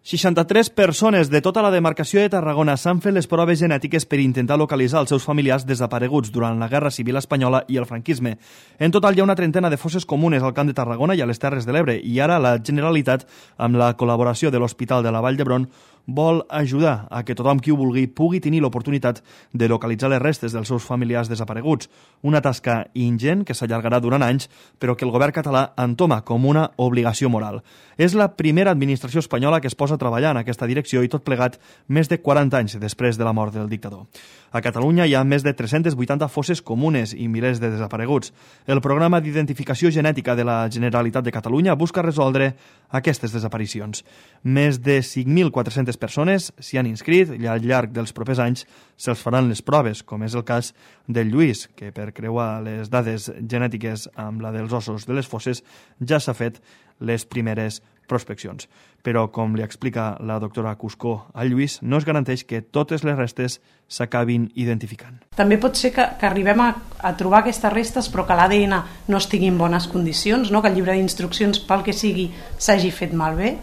63 persones de tota la demarcació de Tarragona s'han fet les proves genètiques per intentar localitzar els seus familiars desapareguts durant la Guerra Civil Espanyola i el franquisme. En total hi ha una trentena de fosses comunes al Camp de Tarragona i a les Terres de l'Ebre i ara la Generalitat, amb la col·laboració de l'Hospital de la Vall d'Hebron, vol ajudar a que tothom qui ho vulgui pugui tenir l'oportunitat de localitzar les restes dels seus familiars desapareguts. Una tasca ingent que s'allargarà durant anys, però que el govern català entoma com una obligació moral. És la primera administració espanyola que es posa a treballar en aquesta direcció i tot plegat més de 40 anys després de la mort del dictador. A Catalunya hi ha més de 380 fosses comunes i milers de desapareguts. El programa d'identificació genètica de la Generalitat de Catalunya busca resoldre aquestes desaparicions. Més de 5.400 persones s'hi han inscrit i al llarg dels propers anys se'ls faran les proves, com és el cas del Lluís, que per creuar les dades genètiques amb la dels ossos de les fosses ja s'ha fet les primeres prospeccions. Però, com li explica la doctora Cuscó al Lluís, no es garanteix que totes les restes s'acabin identificant. També pot ser que arribem a trobar aquestes restes però que l'ADN no estigui en bones condicions, no? Que el llibre d'instruccions, pel que sigui, s'hagi fet malbé,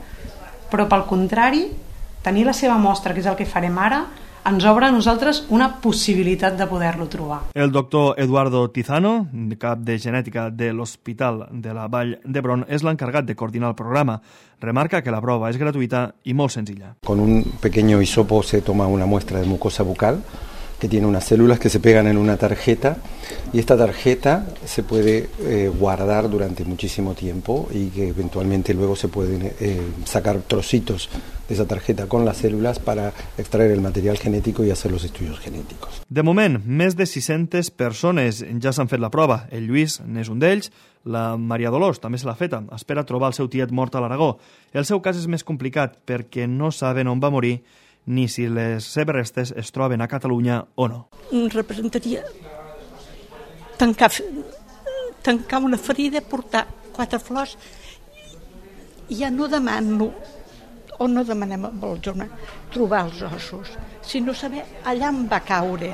però pel contrari, tenir la seva mostra, que és el que farem ara, ens obre a nosaltres una possibilitat de poder-lo trobar. El doctor Eduardo Tizano, cap de genètica de l'Hospital de la Vall d'Hebron, és l'encargat de coordinar el programa. Remarca que la prova és gratuïta i molt senzilla. Con un pequeño hisopo se toma una muestra de mucosa bucal que tiene unas células que se pegan en una tarjeta y esta tarjeta se puede guardar durante muchísimo tiempo y que eventualmente luego se pueden sacar trocitos de esa tarjeta con las células para extraer el material genético y hacer los estudios genéticos. De moment, més de 600 persones ja s'han fet la prova. El Lluís n'és un d'ells, la Maria Dolors també se l'ha feta. Espera trobar el seu tiet mort a l'Aragó. El seu cas és més complicat perquè no saben on va morir ni si les seves restes es troben a Catalunya o no. Representaria tancar una ferida, portar 4 flors i ja no demano o no demanem a la zona trobar els ossos, sinó saber allà on va caure,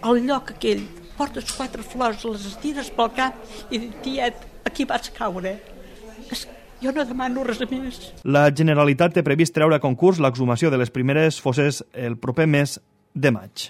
el lloc aquell. Portes 4 flors, les estires pel cap i dius, tiet, aquí vas caure. Jo no demano res més. La Generalitat té previst treure a concurs l'exhumació de les primeres fosses el proper mes de maig.